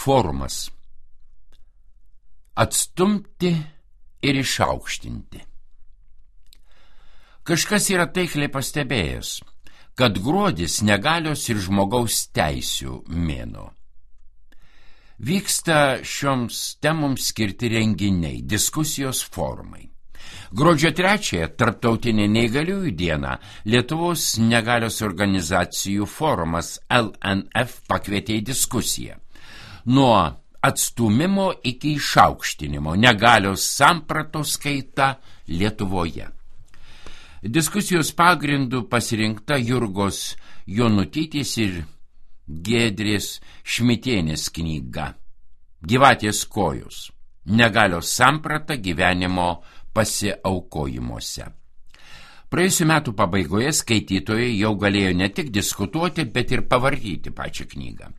Forumas. Atstumti ir išaukštinti. Kažkas yra taikliai pastebėjęs, kad gruodis negalios ir žmogaus teisių mėnuo. Vyksta šioms temoms skirti renginiai, diskusijos forumai. Gruodžio 3-ąją, Tarptautinė neįgaliųjų diena, Lietuvos negalios organizacijų forumas LNF pakvietė į diskusiją. Nuo atstūmimo iki išaukštinimo negalios sampratos kaita Lietuvoje. Diskusijos pagrindų pasirinkta Jurgos Jonutytės ir Giedrės Šmitienės knyga Gyvatės kojos. Negalios samprata gyvenimo pasiaukojimuose. Praėjusių metų pabaigoje skaitytojai jau galėjo ne tik diskutuoti, bet ir pavartyti pačią knygą.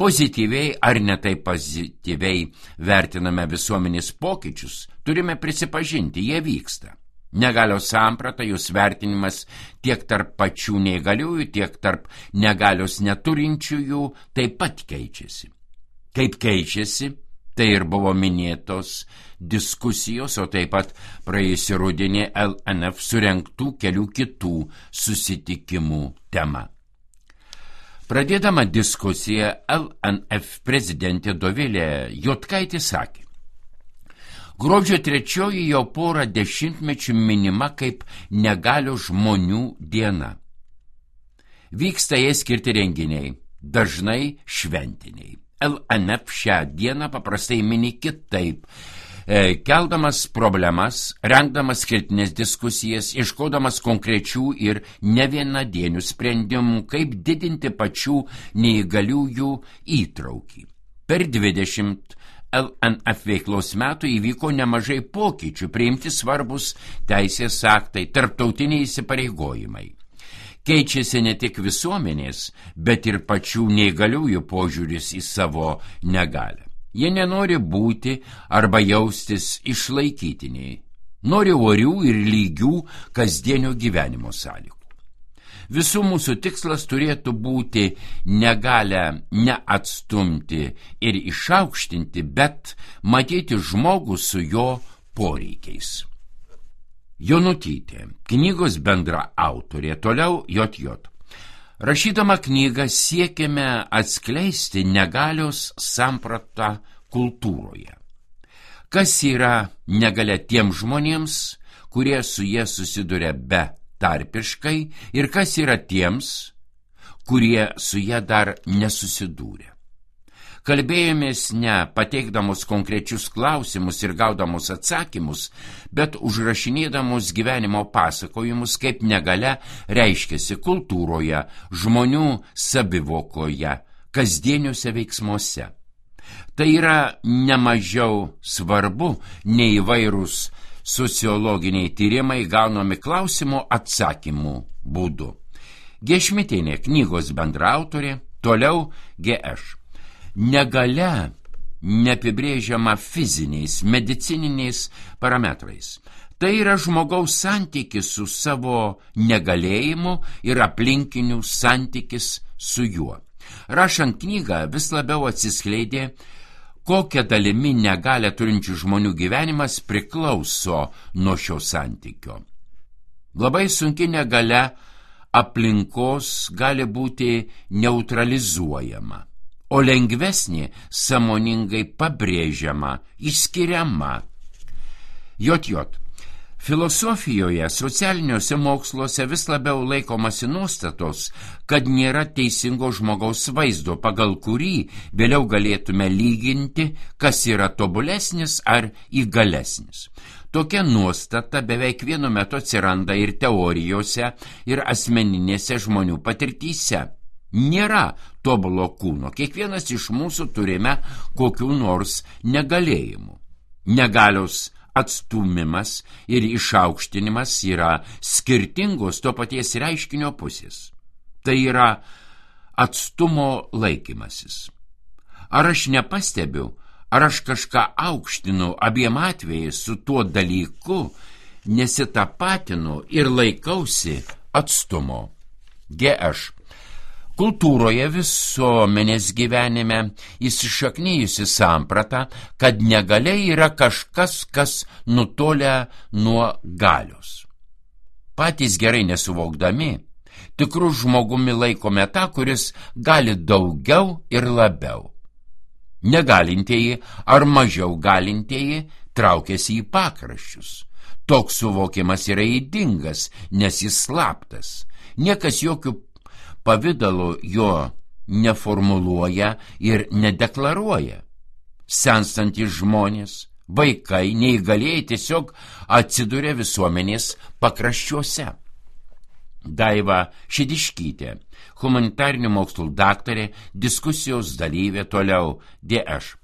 Pozityviai ar netai pozityviai vertiname visuomenės pokyčius, turime prisipažinti, jie vyksta. Negalios samprata, jos vertinimas tiek tarp pačių neįgaliųjų, tiek tarp negalios neturinčiųjų taip pat keičiasi. Kaip keičiasi, tai ir buvo minėtos diskusijos, o taip pat praėjusį rudenį LNF surengtų kelių kitų susitikimų tema. Pradėdama diskusiją, LNF prezidentė Dovilė Juodkaitė sakė: gruodžio 3 jau porą dešimtmečių minima kaip negalių žmonių diena. Vyksta jai skirti renginiai, dažnai šventiniai. LNF šią dieną paprastai mini kitaip, keldamas problemas, rengdamas skirtinės diskusijas, ieškodamas konkrečių ir nevienadienių sprendimų, kaip didinti pačių neįgaliųjų įtraukį. Per 20 LNF veiklos metų įvyko nemažai pokyčių, priimti svarbus teisės aktai, tarptautiniai įsipareigojimai. Keičiasi ne tik visuomenės, bet ir pačių neįgaliųjų požiūris į savo negalią. Jie nenori būti arba jaustis išlaikytiniai, nori orių ir lygių kasdienio gyvenimo sąlygų. Visų mūsų tikslas turėtų būti negalią neatstumti ir išaukštinti, bet matyti žmogų su jo poreikiais. Jonutytė, knygos bendra autorė, toliau JJ. Rašydama knygą siekiame atskleisti negalios sampratą kultūroje. Kas yra negalia tiems žmonėms, kurie su jie susiduria betarpiškai, ir kas yra tiems, kurie su jie dar nesusidūrė. Kalbėjomės ne pateikdamos konkrečius klausimus ir gaudamos atsakymus, bet užrašinėdamos gyvenimo pasakojimus, kaip negalia reiškiasi kultūroje, žmonių savivokoje, kasdieniuose veiksmuose. Tai yra nemažiau svarbu nei įvairūs sociologiniai tyrimai gaunami klausimo atsakymų būdu. G. Šmitienė, knygos bendraautorė, toliau GŠ. Negalia neapibrėžiama fiziniais, medicininiais parametrais. Tai yra žmogaus santykis su savo negalėjimu ir aplinkinių santykis su juo. Rašant knygą vis labiau atsiskleidė, kokia dalimi negalią turinčių žmonių gyvenimas priklauso nuo šio santykio. Labai sunki negalia aplinkos gali būti neutralizuojama, o lengvesnė sąmoningai pabrėžiama, išskiriama. JJ. Filosofijoje, socialiniuose moksluose vis labiau laikomasi nuostatos, kad nėra teisingo žmogaus vaizdo, pagal kurį vėliau galėtume lyginti, kas yra tobulesnis ar įgalesnis. Tokia nuostata beveik vienu metu atsiranda ir teorijose, ir asmeninėse žmonių patirtyse. Nėra tobulo kūno, kiekvienas iš mūsų turime kokių nors negalėjimų. Negalios atstūmimas ir išaukštinimas yra skirtingos to paties reiškinio pusės. Tai yra atstumo laikymasis. Ar aš nepastebiu, ar aš kažką aukštinu abiem atvejais su tuo dalyku, nesitapatinu ir laikausi atstumo. GŠ. Kultūroje, visuomenės gyvenime įsišaknijusi samprata, kad negalia yra kažkas, kas nutolia nuo galios. Patys gerai nesuvokdami, tikrų žmogumi laikome tą, kuris gali daugiau ir labiau. Negalintieji ar mažiau galintieji traukiasi į pakraščius. Toks suvokimas yra ydingas, nes jis slaptas. Niekas jokių pavidalų jo neformuluoja ir nedeklaruoja. Senstantys žmonės, vaikai, neįgalieji tiesiog atsiduria visuomenės pakraščiuose. Daiva Šidiškytė, humanitarinių mokslų daktarė, diskusijos dalyvė, toliau D.Š.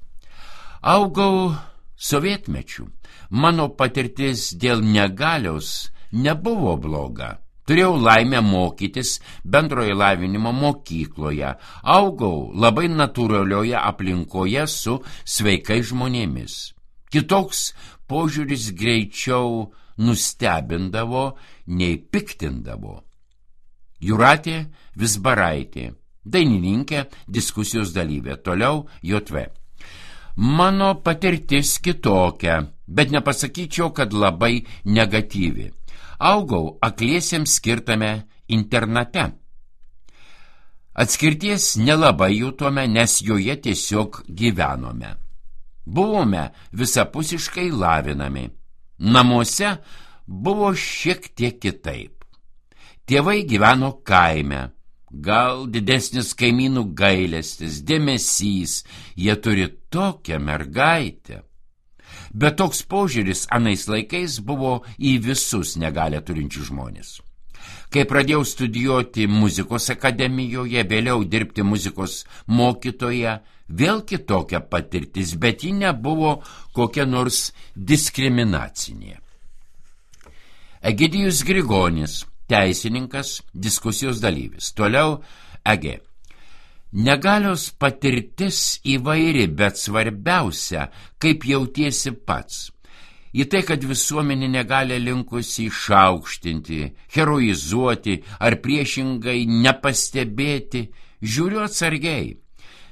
Augau sovietmečiu. Mano patirtis dėl negalios nebuvo bloga. Turėjau laimę mokytis bendrojo lavinimo mokykloje. Augau labai natūralioje aplinkoje su sveikais žmonėmis. Kitoks požiūris greičiau nustebindavo, nei piktindavo. Jūratė Vizbaraitė, dainininkė, diskusijos dalyvė, toliau JV. Mano patirtis kitokia, bet nepasakyčiau, kad labai negatyvi. Augau akliesiems skirtame internate. Atskirties nelabai jutome, nes joje tiesiog gyvenome. Buvome visapusiškai lavinami. Namuose buvo šiek tiek kitaip. Tėvai gyveno kaime. Gal didesnis kaimynų gailestis, dėmesys, jie turi tokią mergaitę. Bet toks požiūris anais laikais buvo į visus negalią turinčių žmonės. Kai pradėjau studijuoti muzikos akademijoje, vėliau dirbti muzikos mokytoja, vėl kitokia patirtis, bet ji nebuvo kokia nors diskriminacinė. Egidijus Grigonis, teisininkas, diskusijos dalyvis. Toliau EG. Negalios patirtis įvairi, bet svarbiausia, kaip jautiesi pats. Į tai, kad visuomenė negali linkusi išaukštinti, heroizuoti ar priešingai nepastebėti, žiūriu atsargiai.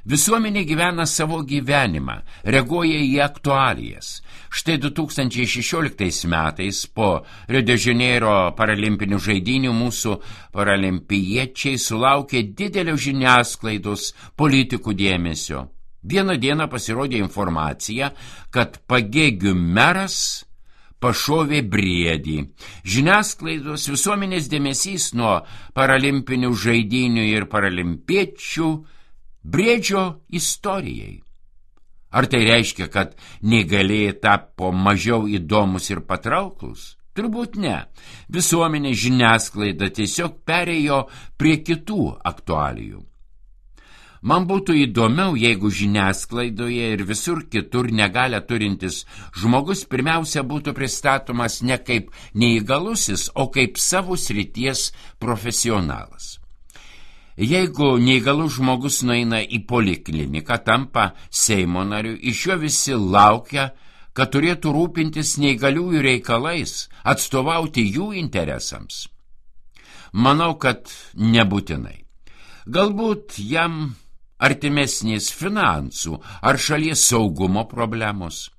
Visuomenė gyvena savo gyvenimą, reaguoja į aktualijas. Štai 2016 metais po Rio de Janeiro paralimpinių žaidynių mūsų paralimpiečiai sulaukė didelio žiniasklaidos politikų dėmesio. Vieną dieną pasirodė informacija, kad Pagėgių meras pašovė briedį. Žiniasklaidos visuomenės dėmesys nuo paralimpinių žaidynių ir paralimpiečių briedžio istorijai. Ar tai reiškia, kad neįgalieji tapo mažiau įdomus ir patrauklus? Turbūt ne. Visuomenė žiniasklaida tiesiog perėjo prie kitų aktualijų. Man būtų įdomiau, jeigu žiniasklaidoje ir visur kitur negalią turintis žmogus pirmiausia būtų pristatomas ne kaip neįgalusis, o kaip savo srities profesionalas. Jeigu neįgalus žmogus nueina į polikliniką, tampa Seimo nariu, iš jo visi laukia, kad turėtų rūpintis neįgaliųjų reikalais, atstovauti jų interesams. Manau, kad nebūtinai. Galbūt jam artimesnės finansų ar šalies saugumo problemos.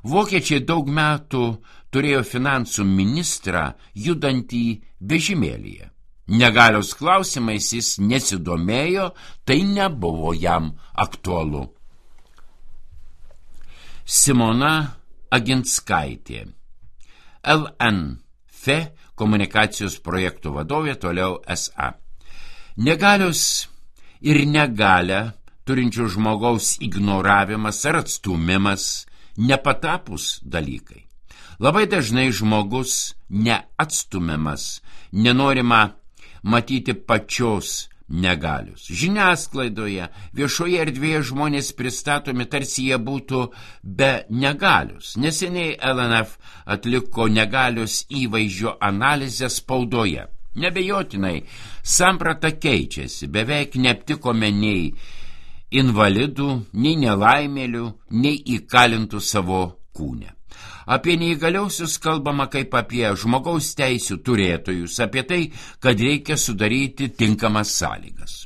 Vokiečiai daug metų turėjo finansų ministrą judantį vežimėlyje. Negalios klausimais jis nesidomėjo, tai nebuvo jam aktualu. Simona Aginskaitė, LNF komunikacijos projektų vadovė, toliau SA. Negalios ir negalią turinčių žmogaus ignoravimas ar atstumimas nepatapus dalykai. Labai dažnai žmogus neatstumiamas, nenorima matyti pačios negalios. Žiniasklaidoje, viešoje erdvėje žmonės pristatomi, tarsi jie būtų be negalios. Neseniai LNF atliko negalios įvaizdžio analizę spaudoje. Nebejotinai, samprata keičiasi, beveik neaptikome nei invalidų, nei nelaimėlių, nei įkalintų savo kūne. Apie neįgaliausius kalbama kaip apie žmogaus teisių turėtojus, apie tai, kad reikia sudaryti tinkamas sąlygas.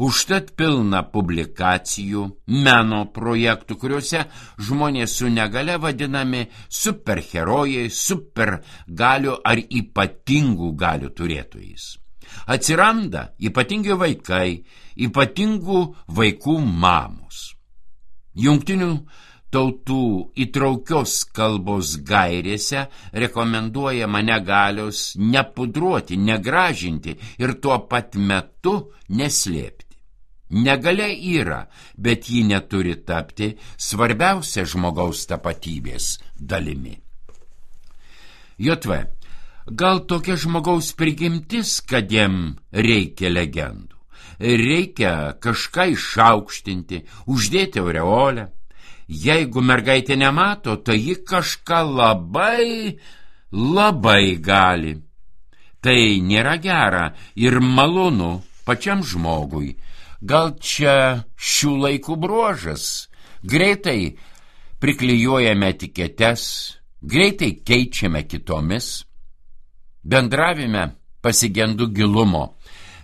Užtat pilna publikacijų, meno projektų, kuriuose žmonės su negale vadinami superherojai, supergalių ar ypatingų galių turėtojais. Atsiranda ypatingi vaikai, ypatingų vaikų mamos. Jungtinių tautų įtraukios kalbos gairėse rekomenduojama negalios nepudruoti, negražinti ir tuo pat metu neslėpti. Negalia yra, bet ji neturi tapti svarbiausia žmogaus tapatybės dalimi. JV. Gal tokia žmogaus prigimtis, kad jam reikia legendų. Reikia kažką išaukštinti, uždėti aureolę. Jeigu mergaitė nemato, tai ji kažką labai gali. Tai nėra gera ir malonu pačiam žmogui. Gal čia šių laikų bruožas? Greitai priklijuojame etiketes, greitai keičiame kitomis. Bendravime pasigendu gilumo,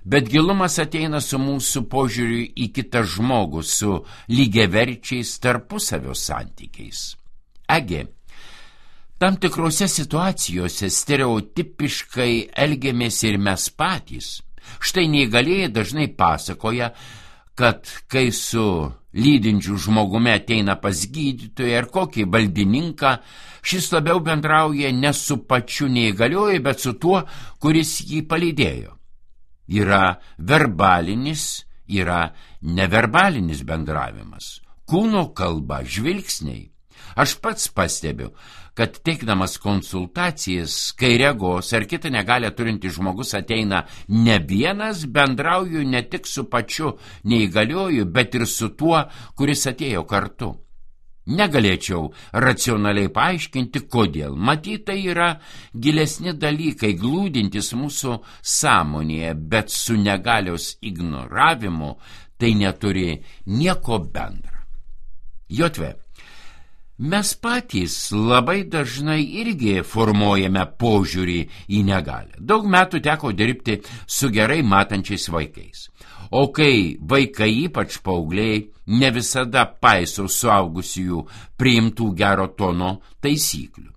bet gilumas ateina su mūsų požiūriu į kitą žmogų, su lygiaverčiais tarpusavio santykiais. Tam tikrose situacijose stereotipiškai elgiamės ir mes patys. Štai neįgalieji dažnai pasakoja, kad kai su lydinčiu žmogumi ateina pas gydytoją ar kokį valdininką, šis labiau bendrauja ne su pačiu neįgalioju, bet su tuo, kuris jį palydėjo. Yra verbalinis, yra neverbalinis bendravimas, kūno kalba, žvilgsniai. Aš pats pastebiu, kad teikdamas konsultacijas, kai regos ar kitą negalią turinti žmogus ateina ne vienas, bendrauju ne tik su pačiu neįgalioju, bet ir su tuo, kuris atėjo kartu. Negalėčiau racionaliai paaiškinti, kodėl. Matyt, tai yra gilesni dalykai, glūdintis mūsų sąmonėje, bet su negalios ignoravimu tai neturi nieko bendra. JV. Mes patys labai dažnai irgi formuojame požiūrį į negalią. Daug metų teko dirbti su gerai matančiais vaikais. O kai vaikai, ypač paaugliai, ne visada paiso suaugusiųjų priimtų gero tono taisyklių.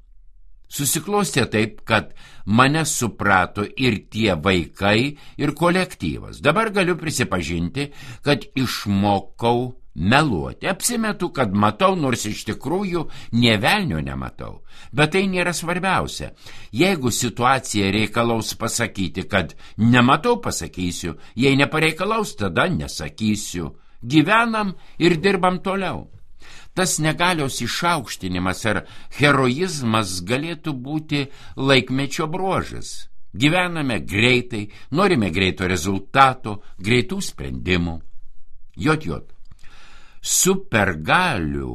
Susiklostė taip, kad mane suprato ir tie vaikai, ir kolektyvas. Dabar galiu prisipažinti, kad išmokau meluoti. Apsimetu, kad matau, nors iš tikrųjų nė velnio nematau. Bet tai nėra svarbiausia. Jeigu situacija reikalaus pasakyti, kad nematau, pasakysiu. Jei nepareikalaus, tada nesakysiu. Gyvenam ir dirbam toliau. Tas negalios išaukštinimas ar heroizmas galėtų būti laikmečio bruožas. Gyvename greitai, norime greito rezultato, greitų sprendimų. JJ. Supergalių,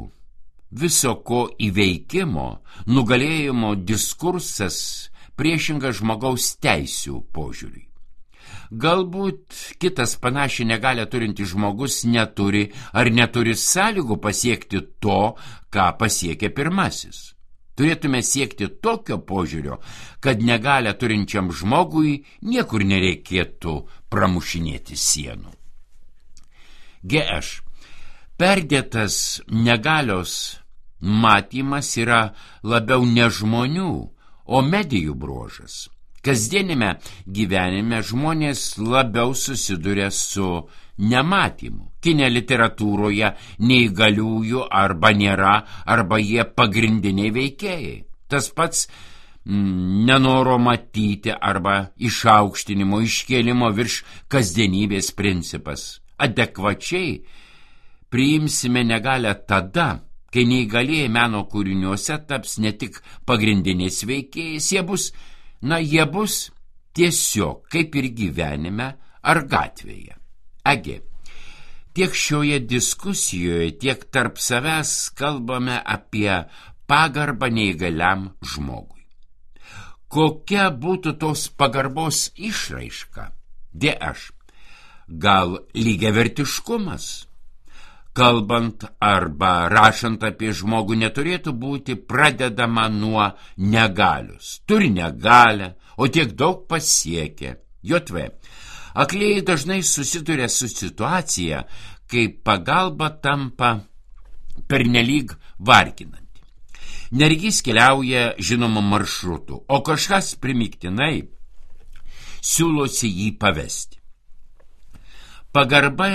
viso ko įveikimo, nugalėjimo diskursas priešingas žmogaus teisių požiūriui. Galbūt kitas panašiai negalią turinti žmogus neturi sąlygų pasiekti to, ką pasiekė pirmasis. Turėtume siekti tokio požiūrio, kad negalią turinčiam žmogui niekur nereikėtų pramušinėti sienų. GŠ. Perdėtas negalios matymas yra labiau ne žmonių, o medijų bruožas. Kasdienime gyvenime žmonės labiau susiduria su nematymu. Kine literatūroje neįgaliųjų arba nėra, arba jie pagrindiniai veikėjai. Tas pats nenoro matyti arba išaukštinimo, iškėlimo virš kasdienybės principas. Adekvačiai priimsime negalią tada, kai neįgalieji meno kūriniuose taps ne tik pagrindiniais veikėjais, jie bus tiesiog kaip ir gyvenime ar gatvėje. Tiek šioje diskusijoje, tiek tarp savęs kalbame apie pagarbą neįgaliam žmogui. Kokia būtų tos pagarbos išraiška? DŠ. Gal lygiavertiškumas? Kalbant arba rašant apie žmogų neturėtų būti pradedama nuo negalios. Turi negalią, o tiek daug pasiekė. JV. Aklieji dažnai susiduria su situacija, kai pagalba tampa pernelyg varginanti. Neregys keliauja žinomu maršrutu, o kažkas primygtinai siūlosi jį pavesti. Pagarba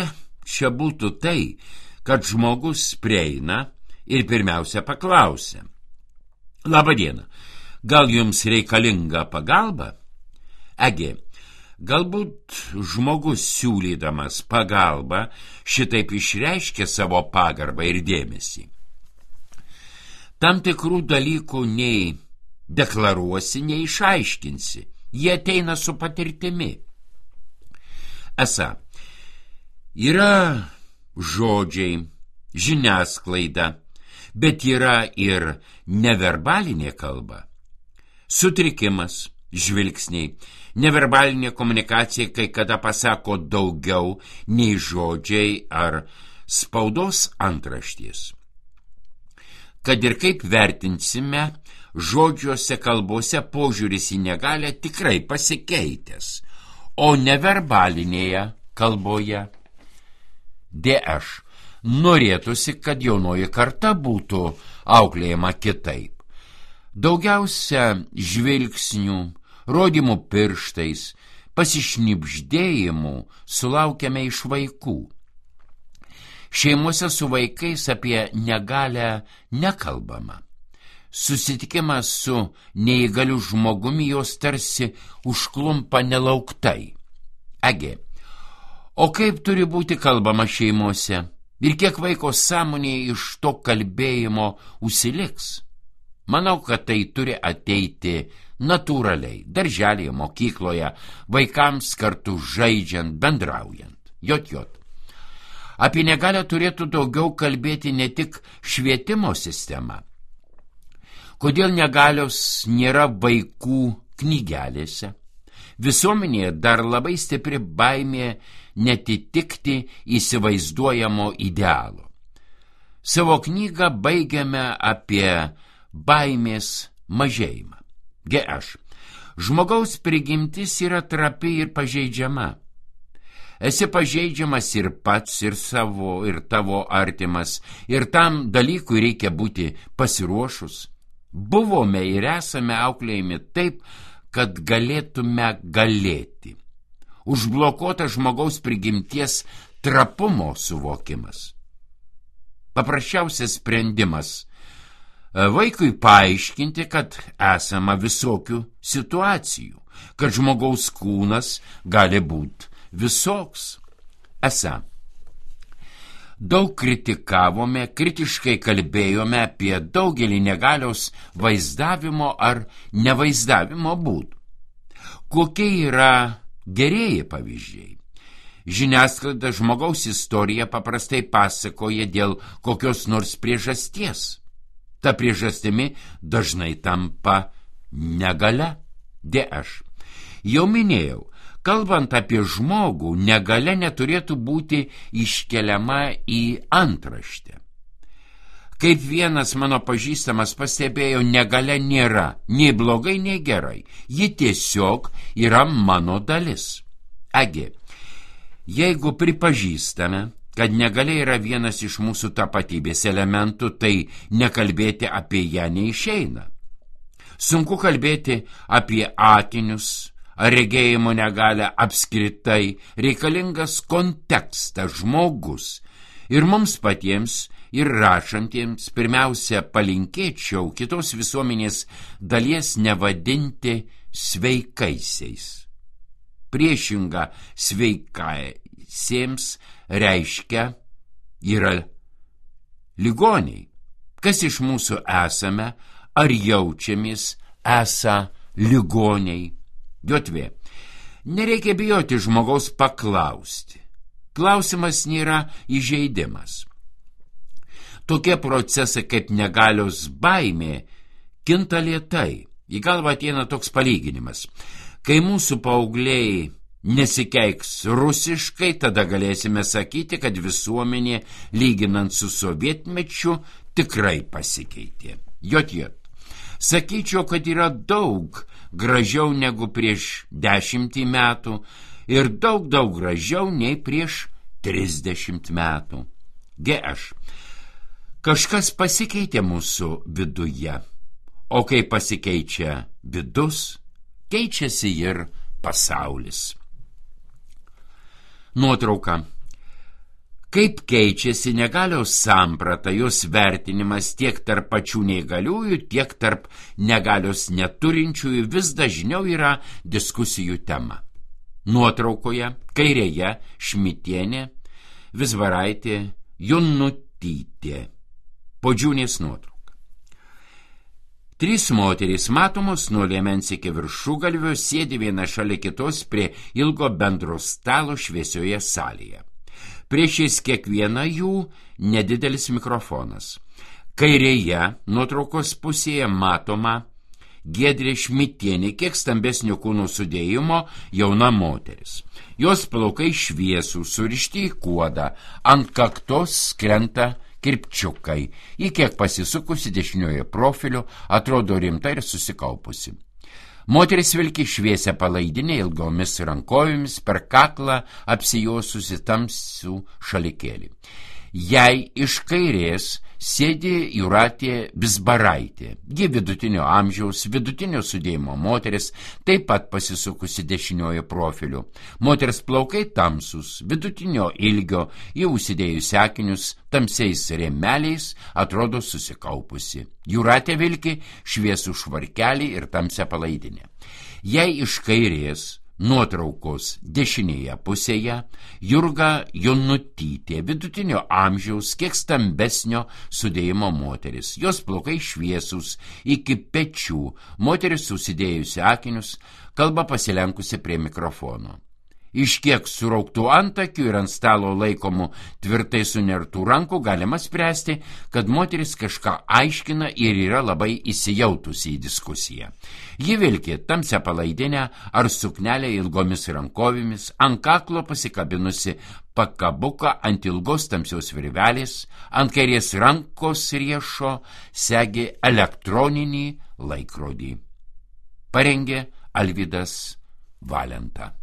čia būtų tai, kad žmogus prieina ir pirmiausia paklausia: Labą dieną, gal jums reikalinga pagalba? Egi, galbūt žmogus siūlydamas pagalbą šitaip išreiškia savo pagarbą ir dėmesį. Tam tikrų dalykų nei deklaruosi, nei išaiškinsi, jie ateina su patirtimi. Esą, yra žodžiai, žiniasklaida, bet yra ir neverbalinė kalba. Sutrikimas, žvilgsniai, neverbalinė komunikacija kai kada pasako daugiau nei žodžiai ar spaudos antraštės. Kad ir kaip vertinsime, žodžiuose kalbose požiūris į negalią tikrai pasikeitęs, o neverbalinėje kalboje DŠ norėtųsi, kad jaunoji karta būtų auklėjama kitaip. Daugiausia žvilgsnių, rodymų pirštais, pasišnibždėjimų sulaukiame iš vaikų. Šeimose su vaikais apie negalią nekalbama. Susitikimas su neįgaliu žmogumi jos tarsi užklumpa nelauktai. Egi, o kaip turi būti kalbama šeimose? Ir kiek vaiko sąmonėje iš to kalbėjimo užsiliks? Manau, kad tai turi ateiti natūraliai, darželėje, mokykloje, vaikams kartu žaidžiant, bendraujant. Jot. Apie negalią turėtų daugiau kalbėti ne tik švietimo sistema. Kodėl negalios nėra vaikų knygelėse? Visuomenėje dar labai stipri baimė netitikti įsivaizduojamo idealo. Savo knygą baigiame apie baimės mažėjimą. GŠ. Žmogaus prigimtis yra trapi ir pažeidžiama. Esi pažeidžiamas ir pats, ir savo, ir tavo artimas, ir tam dalykui reikia būti pasiruošus. Buvome ir esame auklėjami taip, kad galėtume galėti. Užblokuota žmogaus prigimties trapumo suvokimas. Paprasčiausias sprendimas vaikui paaiškinti, kad esama visokių situacijų, kad žmogaus kūnas gali būti visoks. Esą, daug kritikavome, kritiškai kalbėjome apie daugelį negalios vaizdavimo ar nevaizdavimo būdų. Kokie yra gerieji pavyzdžiai? Žiniasklaida žmogaus istoriją paprastai pasakoja dėl kokios nors priežasties. Ta priežastimi dažnai tampa negalia. DŠ. Jau minėjau, kalbant apie žmogų, negalia neturėtų būti iškeliama į antraštę. Kaip vienas mano pažįstamas pastebėjo, negalia nėra nei blogai, nei gerai. Ji tiesiog yra mano dalis. Egi, jeigu pripažįstame, kad negalia yra vienas iš mūsų tapatybės elementų, tai nekalbėti apie ją neišeina. Sunku kalbėti apie akinius ar regėjimo negalią apskritai, reikalingas kontekstas, žmogus. Ir mums patiems, ir rašantiems, pirmiausia, palinkėčiau kitos visuomenės dalies nevadinti sveikaisiais. Priešinga sveikaisiems reiškia yra ligoniai. Kas iš mūsų esame, ar jaučiamės esą ligoniai? Jotvė. Nereikia bijoti žmogaus paklausti. Klausimas nėra įžeidimas. Tokie procesai kaip negalios baimė kinta lėtai. Į galvą ateina toks palyginimas. Kai mūsų paaugliai nesikeiks rusiškai, tada galėsime sakyti, kad visuomenė, lyginant su sovietmečiu, tikrai pasikeitė. Jot. Sakyčiau, kad yra daug gražiau negu prieš 10 metų ir daug gražiau nei prieš 30 metų. Kažkas pasikeitė mūsų viduje, o kai pasikeičia vidus, keičiasi ir pasaulis. Nuotrauka. Kaip keičiasi negalios samprata, jos vertinimas tiek tarp pačių neįgaliųjų, tiek tarp negalios neturinčiųjų vis dažniau yra diskusijų tema. Nuotraukoje kairėje Šmitienė, Vizbaraitė, Jonutytė. Podžiūnės nuotrauka. 3 moterys matomos nuo liemens iki viršugalvio sėdi viena šalia kitos prie ilgo bendro stalo šviesioje salėje. Priešais kiekvieną jų nedidelis mikrofonas. Kairėje nuotraukos pusėje matoma Giedrė Šmitienė, kiek stambesnio kūno sudėjimo jauna moteris. Jos plaukai šviesų, surišti į kuodą, ant kaktos krenta kirpčiukai. Ji kiek pasisukusi dešinioje profiliu, atrodo rimta ir susikaupusi. Moteris vilki šviesią palaidinę ilgomis rankojomis, per kaklą apsijosusi tamsių šalikėlį. Jai iš kairės sėdi Jūratė Vizbaraitė. Ji vidutinio amžiaus, vidutinio sudėjimo moteris, taip pat pasisukusi dešiniojo profiliu. Moters plaukai tamsus, vidutinio ilgio, jau užsidėjusi akinius, tamsiais rėmeliais, atrodo susikaupusi. Jūratė vilki šviesų švarkelį ir tamsią palaidinę. Jai iš kairės nuotraukos dešinėje pusėje Jurga Jonutytė, vidutinio amžiaus, kiek stambesnio sudėjimo moteris. Jos plaukai šviesūs iki pečių, moteris susidėjusi akinius, kalba pasilenkusi prie mikrofono. Iš kiek surauktų antakių ir ant stalo laikomų tvirtai sunertų rankų galima spręsti, kad moteris kažką aiškina ir yra labai įsijautusi į diskusiją. Ji vilki tamsią palaidinę ar suknelę ilgomis rankovėmis, ant kaklo pasikabinusi pakabuką ant ilgos tamsios virvelės, ant kairės rankos riešo segi elektroninį laikrodį. Parengė Alvydas Valenta.